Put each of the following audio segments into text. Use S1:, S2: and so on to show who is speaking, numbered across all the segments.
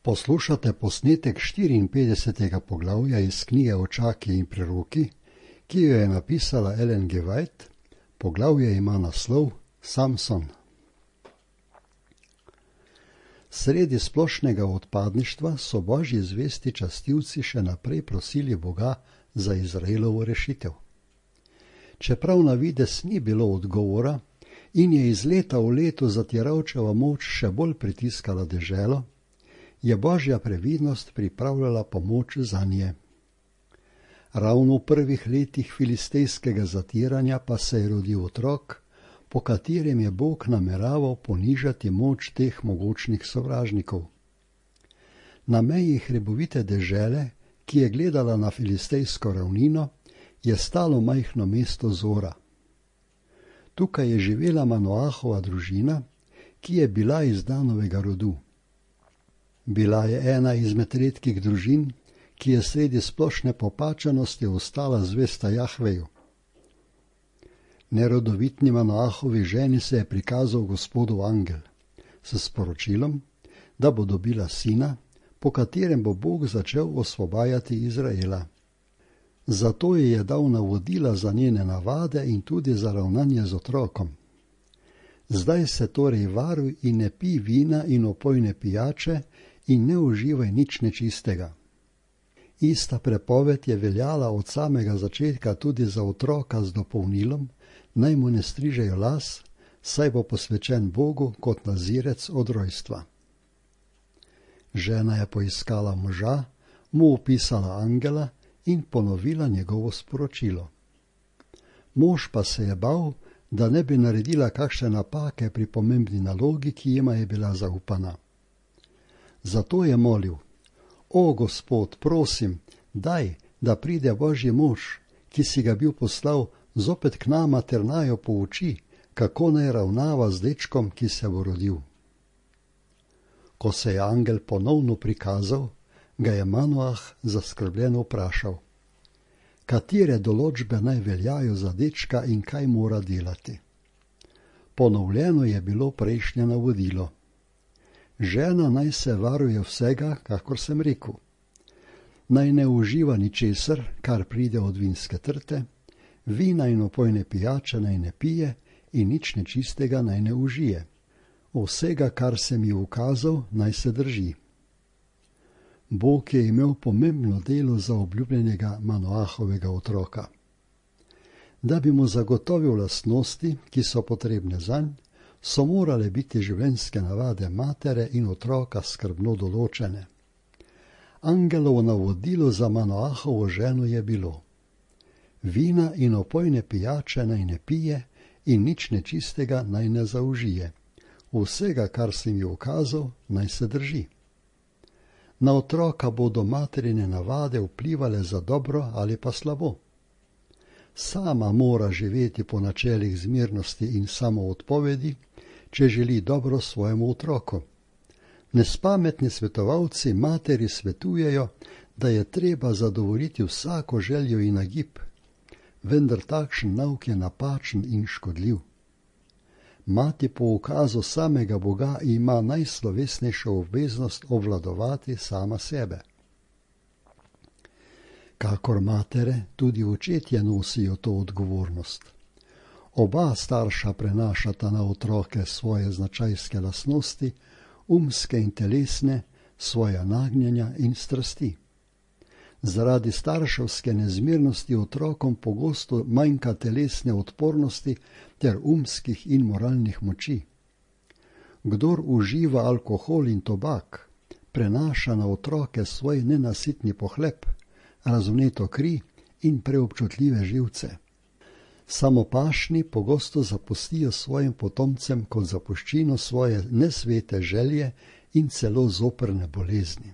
S1: Poslušate posnetek 54. poglavja iz knjige Očaki in preroki, ki jo je napisala Ellen G. White. Poglavje ima naslov Samson. Sredi splošnega odpadništva so božji zvesti častilci še naprej prosili Boga za Izraelovo rešitev. Čeprav na videz ni bilo odgovora in je iz leta v leto zatiralčeva moč še bolj pritiskala deželo, je božja previdnost pripravljala pomoč zanje. Ravno v prvih letih filistejskega zatiranja pa se je rodil otrok, po katerem je Bog nameraval ponižati moč teh mogočnih sovražnikov. Na meji hribovite dežele, ki je gledala na filistejsko ravnino, je stalo majhno mesto Zora. Tukaj je živela Manoahova družina, ki je bila iz Danovega rodu. Bila je ena izmed redkih družin, ki je sredi splošne popačenosti ostala zvesta Jahveju. Nerodovitni Manoahovi ženi se je prikazal Gospodov angel s sporočilom, da bo dobila sina, po katerem bo Bog začel osvobajati Izraela. Zato ji je dal navodila za njene navade in tudi za ravnanje z otrokom. Zdaj se torej varuj in ne pij vina in opojne pijače in ne uživaj nič nečistega. Ista prepoved je veljala od samega začetka tudi za otroka z dopolnilom, naj mu ne strižejo las, saj bo posvečen Bogu kot nazirec od rojstva. Žena je poiskala moža, mu opisala angela in ponovila njegovo sporočilo. Mož pa se je bal, da ne bi naredila kakšne napake pri pomembni nalogi, ki jima je bila zaupana. Zato je molil: O Gospod, prosim, daj, da pride Božji mož, ki si ga bil poslal, zopet k nama ter naju pouči, kako naj ravnava z dečkom, ki se bo rodil. Ko se je angel ponovno prikazal, ga je Manoah zaskrbljeno vprašal: Katere določbe naj veljajo za dečka in kaj mora delati? Ponovljeno je bilo prejšnje navodilo: Žena naj se varuje vsega, kakor sem rekel. Naj ne uživa ničesar, kar pride od vinske trte, vina in opojne pijače naj ne pije in nič nečistega naj ne užije. Vsega, kar sem ji ukazal, naj se drži. Bog je imel pomembno delo za obljubljenega Manoahovega otroka. Da bi mu zagotovil lastnosti, ki so potrebne zanj, so morale biti življenjske navade matere in otroka skrbno določene. Angelovo navodilo za Manoahovo ženo je bilo: Vina in opojne pijače naj ne pije in nič nečistega naj ne zaužije. Vsega, kar sem ji ukazal, naj se drži. Na otroka bodo materine navade vplivale za dobro ali pa slabo. Sama mora živeti po načelih zmernosti in samoodpovedi, če želi dobro svojemu otroku. Nespametni svetovalci materi svetujejo, da je treba zadovoljiti vsako željo in nagib, vendar takšen nauk je napačen in škodljiv. Mati po ukazu samega Boga ima najslovesnejšo obveznost obvladovati sama sebe. Kakor matere, tudi očetje nosijo to odgovornost. Oba starša prenašata na otroke svoje značajske lastnosti, umske in telesne, svoja nagnjenja in strasti. Zaradi starševske nezmernosti otrokom pogosto manjka telesne odpornosti ter umskih in moralnih moči. Kdor uživa alkohol in tobak, prenaša na otroke svoj nenasitni pohlep, razvneto kri in preobčutljive živce. Samopašni pogosto zapustijo svojim potomcem kot zapuščino svoje nesvete želje in celo zoprne bolezni.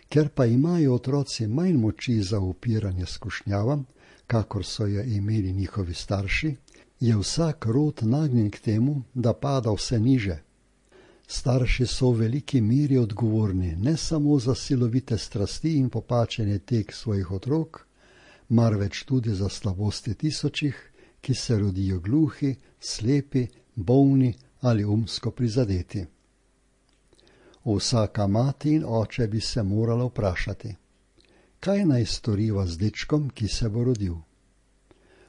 S1: Ker pa imajo otroci manj moči za upiranje skušnjavam, kakor so jo imeli njihovi starši, je vsak rod nagnjen k temu, da pada vse niže. Starši so v veliki meri odgovorni ne samo za silovite strasti in popačenje tek svojih otrok, marveč tudi za slabosti tisočih, ki se rodijo gluhi, slepi, bolni ali umsko prizadeti. Vsaka mati in oče bi se morala vprašati, kaj naj storiva z dečkom, ki se bo rodil.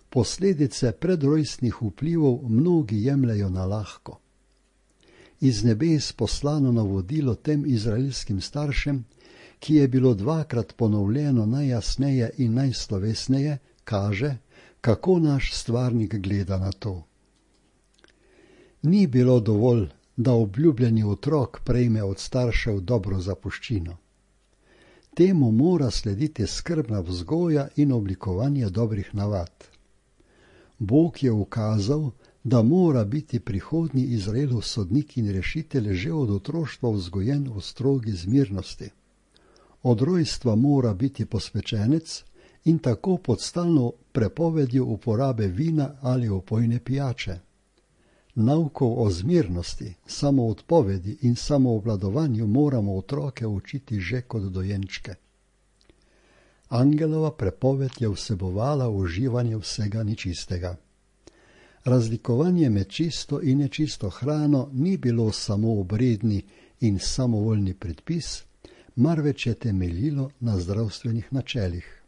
S1: Posledice predrojstnih vplivov mnogi jemljejo na lahko. Iz nebes poslano navodilo tem izraelskim staršem, ki je bilo 2-krat ponovljeno najjasneje in najslovesneje, kaže, kako naš stvarnik gleda na to. Ni bilo dovolj, da obljubljeni otrok prejme od staršev dobro zapuščino. Temu mora slediti skrbna vzgoja in oblikovanje dobrih navad. Bog je ukazal, da mora biti prihodnji Izraelov sodnik in rešitelj že od otroštva vzgojen v strogi zmirnosti. Od rojstva mora biti posvečenec in tako pod stalno prepovedjo uporabe vina ali opojne pijače. Naukov o zmirnosti, samoodpovedi in samoobvladovanju moramo otroke učiti že kot dojenčke. Angelova prepoved je vsebovala uživanje vsega nečistega. Razlikovanje med čisto in nečisto hrano ni bilo samo obredni in samovoljni predpis, marveč je temeljilo na zdravstvenih načelih.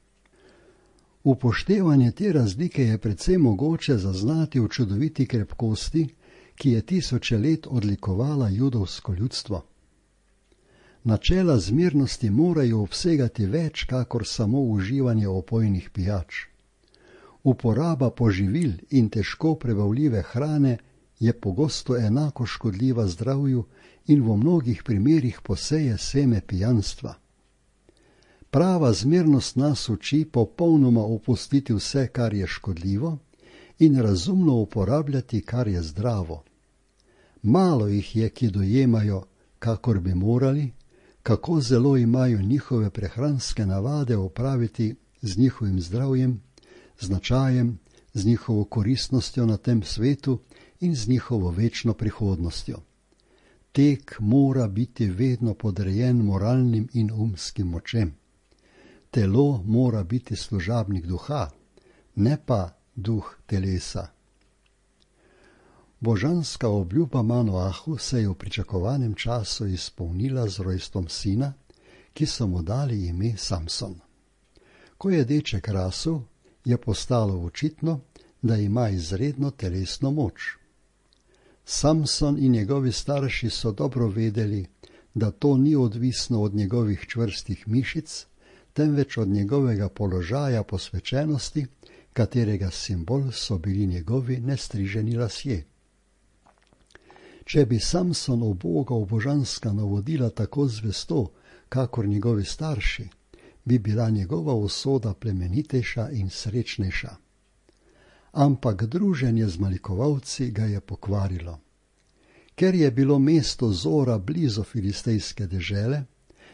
S1: Upoštevanje te razlike je precej mogoče zaznati v čudoviti krepkosti, ki je tisoče let odlikovala judovsko ljudstvo. Načela zmernosti morajo obsegati več, kakor samo uživanje opojnih pijač. Uporaba poživil in težko prebavljive hrane je pogosto enako škodljiva zdravju in v mnogih primerih poseje seme pijanstva. Prava zmernost nas uči popolnoma opustiti vse, kar je škodljivo, in razumno uporabljati, kar je zdravo. Malo jih je, ki dojemajo, kakor bi morali, kako zelo imajo njihove prehranske navade opraviti z njihovim zdravjem, značajem, z njihovo koristnostjo na tem svetu in z njihovo večno prihodnostjo. Tek mora biti vedno podrejen moralnim in umskim močem. Telo mora biti služabnik duha, ne pa duh telesa. Božanska obljuba Manoahu se je v pričakovanem času izpolnila z rojstvom sina, ki so mu dali ime Samson. Ko je deček rasel, je postalo očitno, da ima izredno telesno moč. Samson in njegovi starši so dobro vedeli, da to ni odvisno od njegovih čvrstih mišic, temveč od njegovega položaja posvečenosti, katerega simbol so bili njegovi nestriženi lasje. Če bi Samson ubogal božanska navodila tako zvesto, kakor njegovi starši, bi bila njegova usoda plemenitejša in srečnejša. Ampak druženje z malikovalci ga je pokvarilo. Ker je bilo mesto Zora blizu filistejske dežele,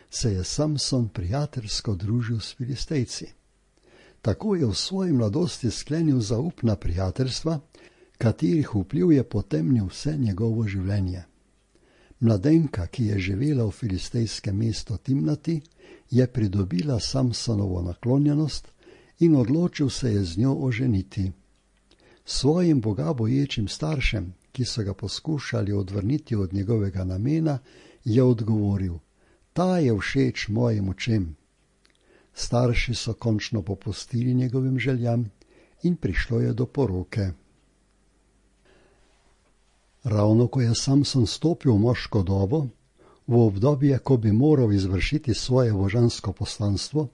S1: se je Samson prijateljsko družil s Filistejci. Tako je v svoji mladosti sklenil zaupna prijateljstva, katerih vpliv je potemnil vse njegovo življenje. Mladenka, ki je živela v filistejskem mestu Timnati, je pridobila Samsonovo naklonjenost in odločil se je z njo oženiti. Svojim bogaboječim staršem, ki so ga poskušali odvrniti od njegovega namena, je odgovoril: ta je všeč mojim očem. Starši so končno popustili njegovim željam in prišlo je do poroke. Ravno ko je Samson stopil v moško dobo, v obdobje, ko bi moral izvršiti svoje božansko poslanstvo,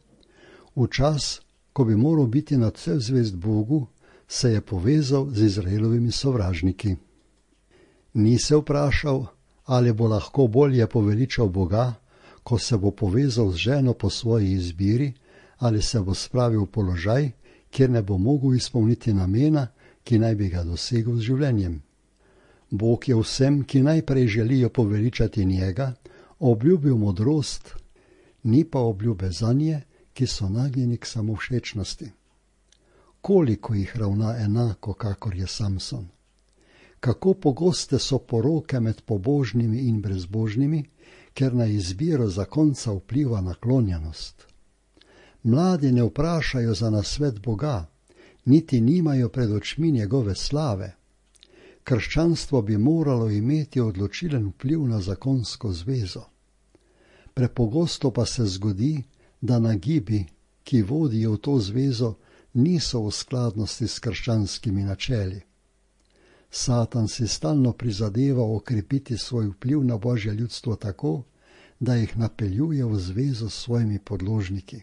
S1: v čas, ko bi moral biti nadvse zvest Bogu, se je povezal z Izraelovimi sovražniki. Ni se vprašal, ali bo lahko bolje poveličal Boga, ko se bo povezal z ženo po svoji izbiri, ali se bo spravil v položaj, kjer ne bo mogel izpolniti namena, ki naj bi ga dosegel z življenjem. Bog je vsem, ki najprej želijo poveličati njega, obljubil modrost, ni pa obljube zanje, ki so nagnjeni k samovšečnosti. Koliko jih ravna enako, kakor je Samson? Kako pogoste so poroke med pobožnimi in brezbožnimi, ker na izbiro zakonca vpliva naklonjenost. Mladi ne vprašajo za nasvet Boga, niti nimajo pred očmi njegove slave. Krščanstvo bi moralo imeti odločilen vpliv na zakonsko zvezo. Prepogosto pa se zgodi, da nagibi, ki vodijo v to zvezo, niso v skladnosti s krščanskimi načeli. Satan si stalno prizadeva okrepiti svoj vpliv na Božje ljudstvo tako, da jih napeljuje v zvezo s svojimi podložniki.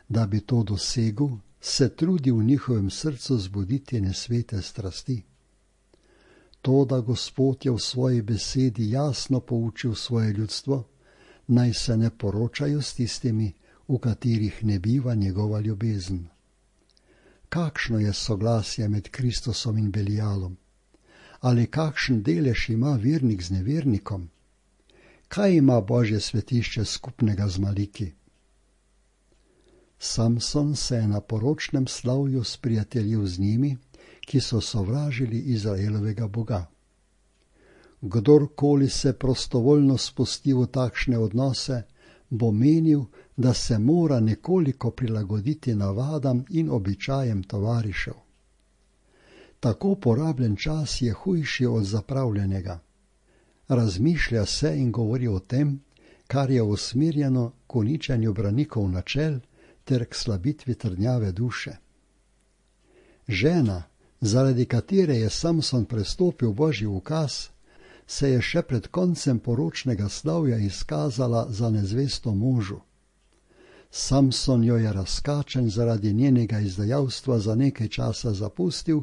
S1: Da bi to dosegel, se trudi v njihovem srcu zbuditi nesvete strasti. To, da Gospod je v svoji besedi jasno poučil svoje ljudstvo, naj se ne poročajo s tistimi, v katerih ne biva njegova ljubezen. Kakšno je soglasje med Kristusom in Belialom? Ali kakšen delež ima vernik z nevernikom? Kaj ima Božje svetišče skupnega z Maliki? Samson se je na poročnem slavju sprijateljil z njimi, ki so sovražili Izraelovega Boga. Kdorkoli se prostovoljno spusti v takšne odnose, bo menil, da se mora nekoliko prilagoditi navadam in običajem tovarišev. Tako porabljen čas je hujši od zapravljenega. Razmišlja se in govori o tem, kar je usmerjeno k uničenju branikov načel ter k slabitvi trdnjave duše. Žena, zaradi katere je Samson prestopil Božji ukaz, se je še pred koncem poročnega slavja izkazala za nezvesto možu. Samson jo je razkačen zaradi njenega izdajalstva za nekaj časa zapustil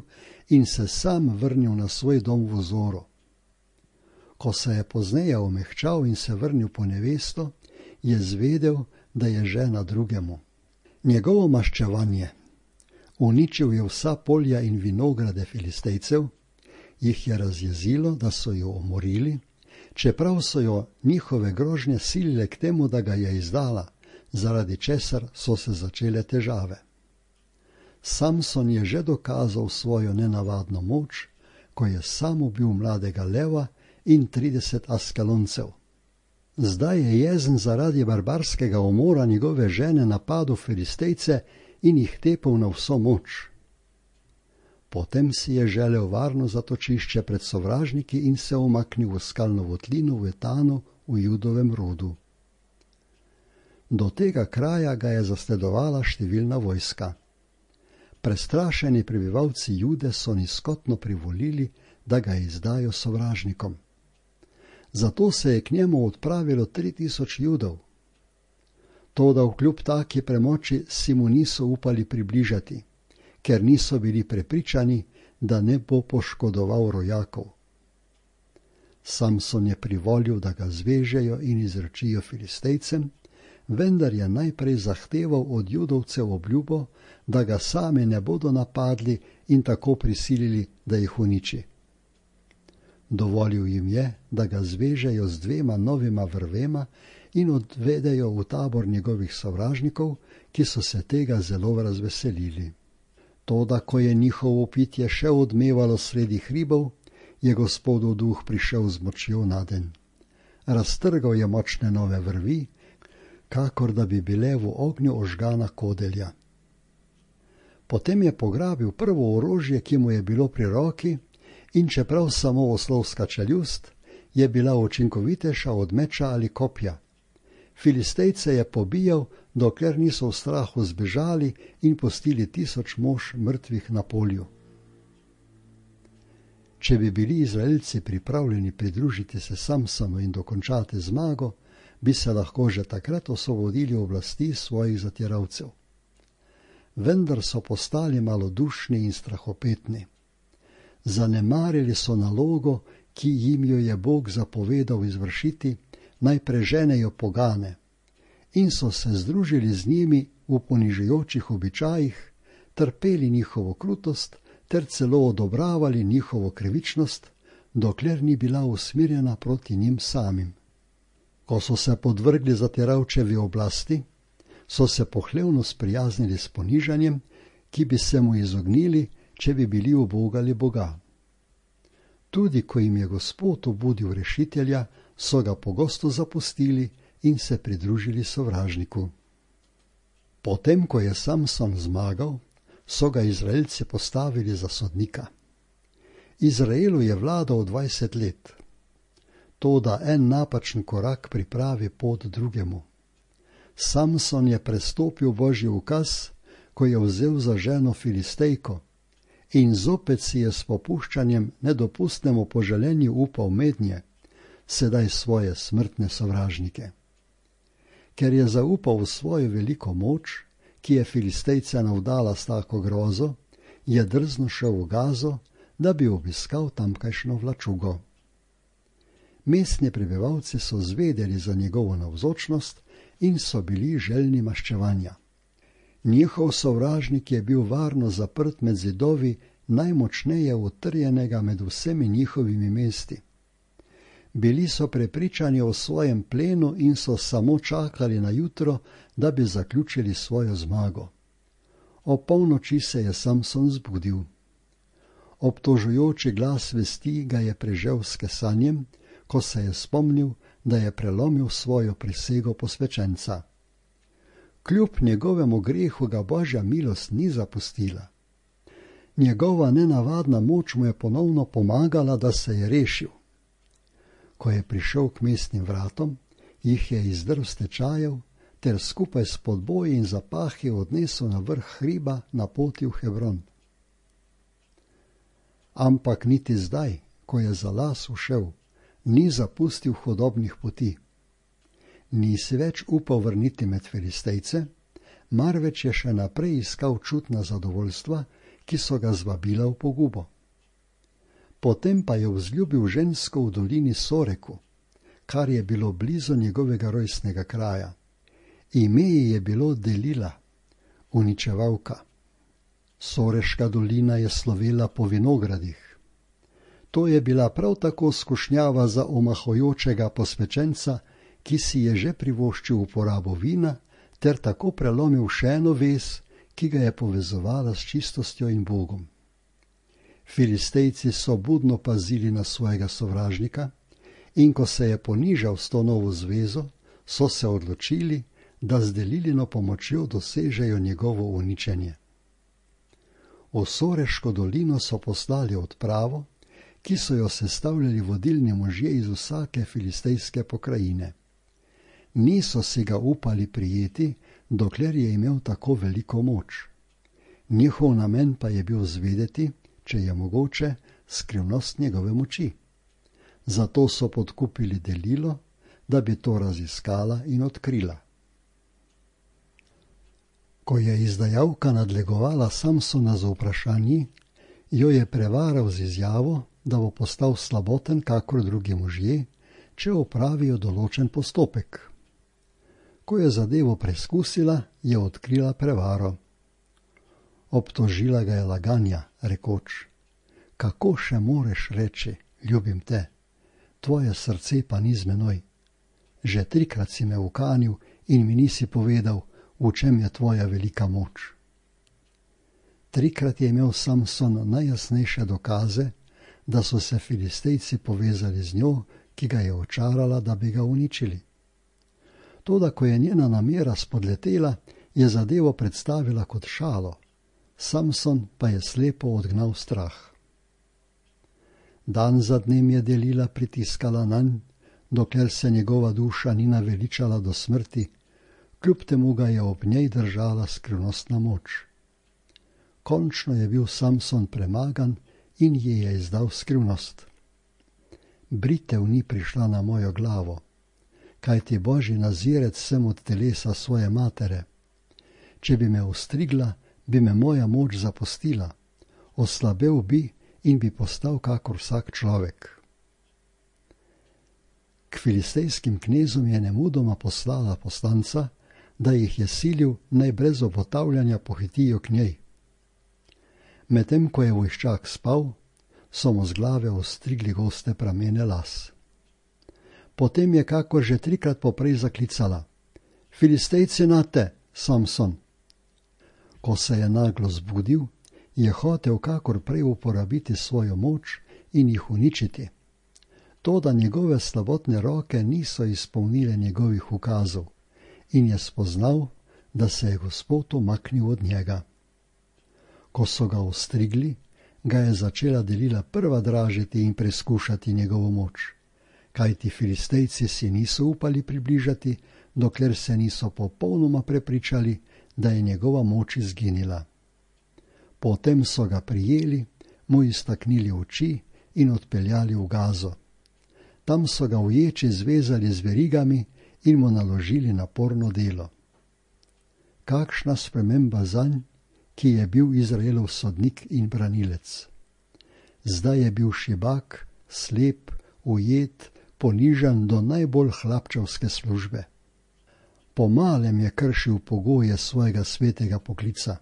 S1: in se sam vrnil na svoj dom v Zoru. Ko se je pozneje omehčal in se vrnil po nevesto, je zvedel, da je žena drugemu. Njegovo maščevanje, uničil je vsa polja in vinograde Filistejcev, jih je razjezilo, da so jo umorili, čeprav so jo njihove grožnje silile k temu, da ga je izdala, zaradi česar so se začele težave. Samson je že dokazal svojo nenavadno moč, ko je sam ubil mladega leva in 30 Askeloncev. Zdaj je jezen zaradi barbarskega umora njegove žene napadel Filistejce in jih tepel na vso moč. Potem si je želel varno zatočišče pred sovražniki in se umaknil v skalno votlino v Etanu v Judovem rodu. Do tega kraja ga je zasledovala številna vojska. Prestrašeni prebivalci Jude so nizkotno privolili, da ga izdajo sovražnikom. Zato se je k njemu odpravilo 3000 Judov. Toda vkljub taki premoči si mu niso upali približati, ker niso bili prepričani, da ne bo poškodoval rojakov. Samson je privolil, da ga zvežejo in izročijo Filistejcem, vendar je najprej zahteval od Judovcev obljubo, da ga sami ne bodo napadli in tako prisilili, da jih uniči. Dovolil jim je, da ga zvežejo z 2 novima vrvema in odvedejo v tabor njegovih sovražnikov, ki so se tega zelo razveselili. Toda, ko je njihovo pitje še odmevalo sredi hribov, je Gospodov duh prišel z močjo nadenj. Raztrgal je močne nove vrvi, kakor da bi bile v ognju ožgana kodelja. Potem je pograbil prvo orožje, ki mu je bilo pri roki, in čeprav samo oslovska čeljust, je bila učinkovitejša od meča ali kopja. Filistejce je pobijal, dokler niso v strahu zbežali in pustili 1000 mož mrtvih na polju. Če bi bili Izraelci pripravljeni pridružiti se Samsonu in dokončati zmago, bi se lahko že takrat osvobodili oblasti svojih zatiralcev. Vendar so postali malodušni in strahopetni. Zanemarili so nalogo, ki jim jo je Bog zapovedal izvršiti, naj preženejo pogane, in so se združili z njimi v ponižujočih običajih, trpeli njihovo krutost ter celo odobravali njihovo krivičnost, dokler ni bila usmerjena proti njim samim. Ko so se podvrgli zatiralčevi oblasti, so se pohlevno sprijaznili s ponižanjem, ki bi se mu izognili, če bi bili ubogali Boga. Tudi ko jim je Gospod obudil rešitelja, so ga pogosto zapustili in se pridružili sovražniku. Potem, ko je Samson zmagal, so ga Izraelci postavili za sodnika. Izraelu je vladal 20 let. toda en napačen korak pripravi pot drugemu. Samson je prestopil Božji ukaz, ko je vzel za ženo Filistejko, in zopet si je s popuščanjem nedopustnemu poželenju upal mednje, sedaj svoje smrtne sovražnike. Ker je zaupal v svojo veliko moč, ki je Filistejce navdala s tako grozo, je drzno šel v Gazo, da bi obiskal tamkajšnjo vlačugo. Mestni prebivalci so zvedeli za njegovo navzočnost in so bili željni maščevanja. Njihov sovražnik je bil varno zaprt med zidovi najmočneje utrjenega med vsemi njihovimi mesti. Bili so prepričani o svojem plenu in so samo čakali na jutro, da bi zaključili svojo zmago. O polnoči se je Samson zbudil. Obtožujoči glas vesti ga je prežel s kesanjem, ko se je spomnil, da je prelomil svojo prisego posvečenca. Kljub njegovemu grehu ga Božja milost ni zapustila. Njegova nenavadna moč mu je ponovno pomagala, da se je rešil. Ko je prišel k mestnim vratom, jih je izdrl s tečajev ter skupaj s podboji in zapahi odnesel na vrh hriba na poti v Hebron. Ampak niti zdaj, ko je za las ušel, ni zapustil hudobnih poti. Ni si več upal vrniti med Filistejce, marveč je še naprej iskal čutna zadovoljstva, ki so ga zvabila v pogubo. Potem pa je vzljubil žensko v dolini Soreku, kar je bilo blizu njegovega rojstnega kraja. Ime ji je bilo Delila, uničevalka. Soreška dolina je slovela po vinogradih. To je bila prav tako skušnjava za omahojočega posvečenca, ki si je že privoščil uporabo vina, ter tako prelomil še eno vez, ki ga je povezovala s čistostjo in Bogom. Filistejci so budno pazili na svojega sovražnika in ko se je ponižal s to novo zvezo, so se odločili, da z Delilino pomočjo dosežejo njegovo uničenje. V Soreško dolino so poslali odpravo, ki so jo sestavljali vodilni možje iz vsake filistejske pokrajine. Niso si ga upali prijeti, dokler je imel tako veliko moč. Njihov namen pa je bil zvedeti, če je mogoče, skrivnost njegove moči. Zato so podkupili Delilo, da bi to raziskala in odkrila. Ko je izdajalka nadlegovala Samsona z vprašanji, jo je prevaral z izjavo, da bo postal slaboten kakor drugi možje, če opravijo določen postopek. Ko je zadevo preskusila, je odkrila prevaro. Obtožila ga je laganja, rekoč: kako še moreš reči, ljubim te, tvoje srce pa ni z menoj. Že 3-krat si me ukanil in mi nisi povedal, v čem je tvoja velika moč. 3-krat je imel Samson najjasnejše dokaze, da so se Filistejci povezali z njo, ki ga je očarala, da bi ga uničili. Toda, ko je njena namera spodletela, je zadevo predstavila kot šalo, Samson pa je slepo odgnal strah. Dan za dnem je Delila pritiskala nanj, dokler se njegova duša ni naveličala do smrti, kljub temu ga je ob njej držala skrivnostna moč. Končno je bil Samson premagan in ji je izdal skrivnost. Britev ni prišla na mojo glavo, kajti Božji nazirec sem od telesa svoje matere. Če bi me ostrigla, bi me moja moč zapustila, oslabel bi in bi postal kakor vsak človek. K filistejskim knezom je nemudoma poslala poslanca, da jih je silil, naj brez obotavljanja pohitijo k njej. Medtem ko je vojščak spal, so mu z glave ostrigli goste pramene las. Potem je kakor že 3-krat poprej zaklicala: Filistejci nate, Samson! Ko se je naglo zbudil, je hotel kakor prej uporabiti svojo moč in jih uničiti. Toda njegove slabotne roke niso izpolnile njegovih ukazov in je spoznal, da se je Gospod umaknil od njega. Ko so ga ostrigli, ga je začela Delila prva dražiti in preskušati njegovo moč, kajti Filistejci si niso upali približati, dokler se niso popolnoma prepričali, da je njegova moč izginila. Potem so ga prijeli, mu iztaknili oči in odpeljali v Gazo. Tam so ga v ječi zvezali z verigami in mu naložili naporno delo. Kakšna sprememba zanj, ki je bil Izraelov sodnik in branilec. Zdaj je bil šibak, slep, ujet, ponižan do najbolj hlapčevske službe. Po malem je kršil pogoje svojega svetega poklica.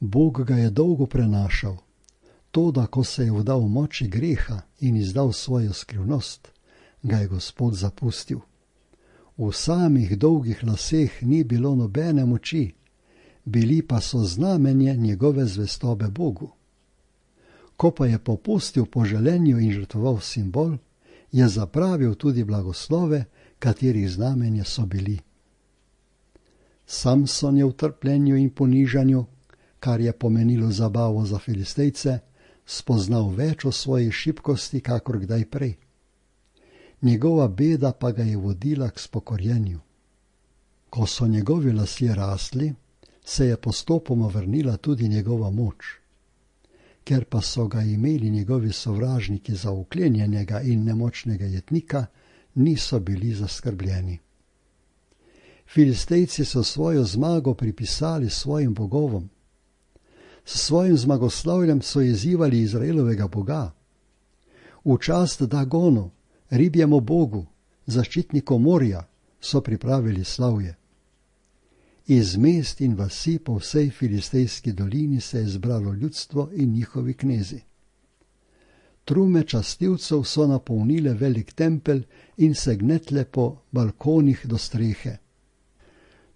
S1: Bog ga je dolgo prenašal, toda ko se je vdal moči greha in izdal svojo skrivnost, ga je Gospod zapustil. V samih dolgih laseh ni bilo nobene moči, bili pa so znamenje njegove zvestobe Bogu. Ko pa je popustil po želenju in žrtvoval simbol, je zapravil tudi blagoslove, katerih znamenje so bili. Samson je v trpljenju in ponižanju, kar je pomenilo zabavo za Filistejce, spoznal več o svoji šibkosti, kakor kdaj prej. Njegova beda pa ga je vodila k spokorjenju. Ko so njegovi lasje rasli, se je postopoma vrnila tudi njegova moč. Ker pa so ga imeli njegovi sovražniki za uklenjenega in nemočnega jetnika, niso bili zaskrbljeni. Filistejci so svojo zmago pripisali svojim bogovom. S svojim zmagoslavljem so izzivali Izraelovega Boga. V čast Dagonu, ribjemu bogu, zaščitniku morja, so pripravili slavje. Iz mest in vasi po vsej filistejski dolini se je zbralo ljudstvo in njihovi knezi. Trume častilcev so napolnile velik tempelj in se gnetle po balkonih do strehe.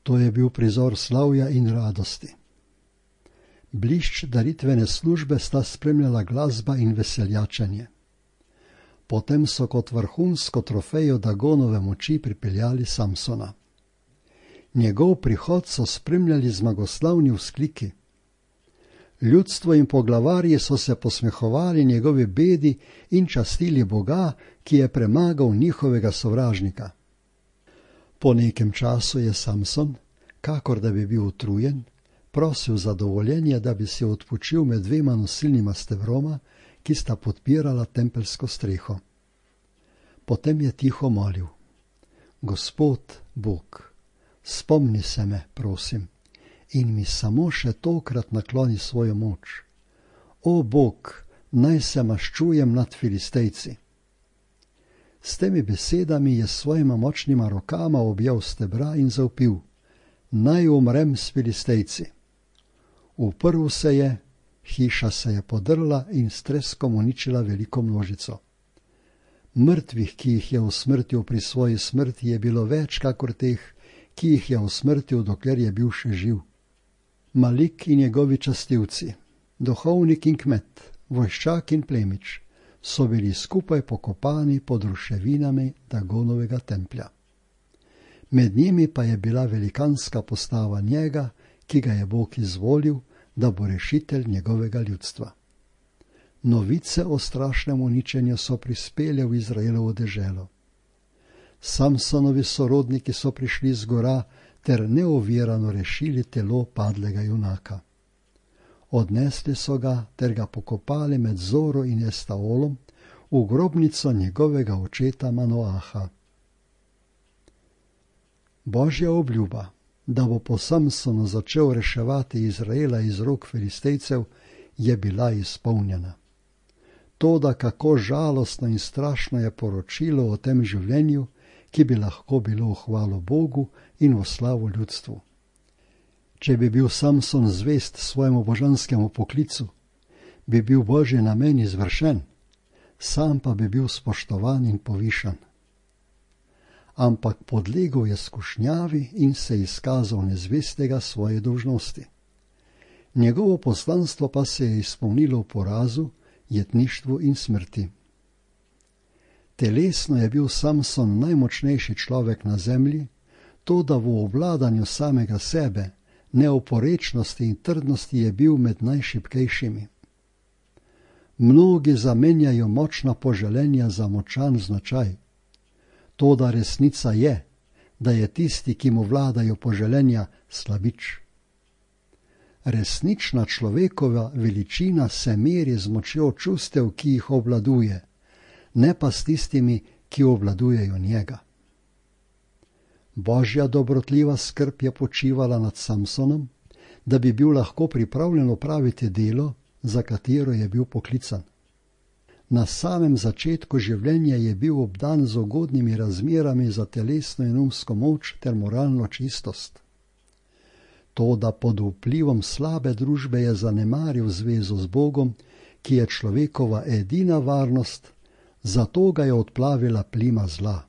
S1: To je bil prizor slavja in radosti. Blišč daritvene službe sta spremljala glasba in veseljačenje. Potem so kot vrhunsko trofejo Dagonove moči pripeljali Samsona. Njegov prihod so spremljali zmagoslavni vzkliki. Ljudstvo in poglavarji so se posmehovali njegovi bedi in častili Boga, ki je premagal njihovega sovražnika. Po nekem času je Samson, kakor da bi bil utrujen, prosil za dovoljenje, da bi se odpočil med dvema nosilnima stebroma, ki sta podpirala tempelsko streho. Potem je tiho molil: Gospod Bog, spomni se me, prosim, in mi samo še tokrat nakloni svojo moč. O Bog, naj se maščujem nad Filistejci. S temi besedami je s svojima močnima rokama objel stebra in zavpil: Naj umrem s Filistejci. Uprl se je, hiša se je podrla in s treskom uničila veliko množico. Mrtvih, ki jih je usmrtil pri svoji smrti, je bilo več kakor teh, ki jih je usmrtil, dokler je bil še živ. Malik in njegovi častilci, duhovnik in kmet, vojščak in plemič, so bili skupaj pokopani pod ruševinami Dagonovega templja. Med njimi pa je bila velikanska postava njega, ki ga je Bog izvolil, da bo rešitelj njegovega ljudstva. Novice o strašnem uničenju so prispele v Izraelovo deželo. Samsonovi sorodniki so prišli z gora ter neovirano rešili telo padlega junaka. Odnesli so ga ter ga pokopali med Zoro in Estaolom v grobnico njegovega očeta Manoaha. Božja obljuba, da bo po Samsonu začel reševati Izraela iz rok Filistejcev, je bila izpolnjena. Toda kako žalostno in strašno je poročilo o tem življenju, ki bi lahko bilo v hvalo Bogu in v slavo ljudstvu. Če bi bil Samson zvest svojemu božanskemu poklicu, bi bil Božji namen izvršen, sam pa bi bil spoštovan in povišan. Ampak podlegel je skušnjavi in se izkazal nezvestega svoje dolžnosti. Njegovo poslanstvo pa se je izpolnilo v porazu, jetništvu in smrti. Telesno je bil Samson najmočnejši človek na zemlji, toda v obvladanju samega sebe, neoporečnosti in trdnosti je bil med najšibkejšimi. Mnogi zamenjajo močna poželenja za močan značaj. Toda resnica je, da je tisti, ki mu vladajo poželenja, slabič. Resnična človekova veličina se meri z močjo čustev, ki jih obvladuje, ne pa s tistimi, ki obvladujejo njega. Božja dobrotljiva skrb je počivala nad Samsonom, da bi bil lahko pripravljen opraviti delo, za katero je bil poklican. Na samem začetku življenja je bil obdan z ugodnimi razmerami za telesno in umsko moč ter moralno čistost. Toda pod vplivom slabe družbe je zanemaril zvezo z Bogom, ki je človekova edina varnost, zato ga je odplavila plima zla.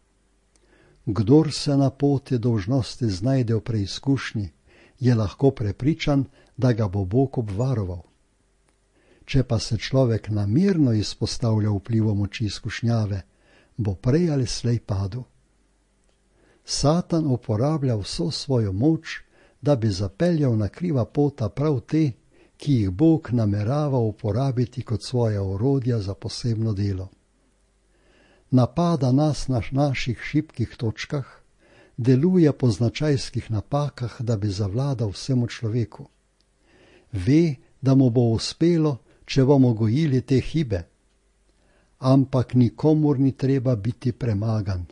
S1: Kdor se na poti dolžnosti znajde v preizkušnji, je lahko prepričan, da ga bo Bog obvaroval. Če pa se človek namerno izpostavlja vplivom moči izkušnjave, bo prej ali slej padel. Satan uporablja vso svojo moč, da bi zapeljal na kriva pota prav te, ki jih Bog namerava uporabiti kot svoja orodja za posebno delo. Napada nas na naših šibkih točkah, deluje po značajskih napakah, da bi zavladal vsemu človeku. Ve, da mu bo uspelo, če bomo gojili te hibe. Ampak nikomur ni treba biti premagan.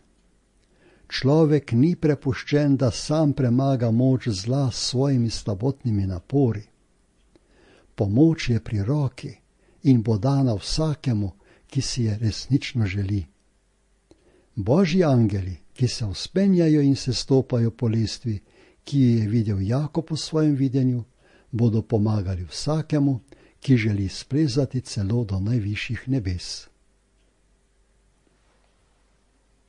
S1: Človek ni prepuščen, da sam premaga moč zla s svojimi slabotnimi napori. Pomoč je pri roki in bo dana vsakemu, ki si je resnično želi. Božji angeli, ki se vzpenjajo in se stopajo po lestvi, ki jo je videl Jakob v svojem videnju, bodo pomagali vsakemu, ki želi splezati celo do najvišjih nebes.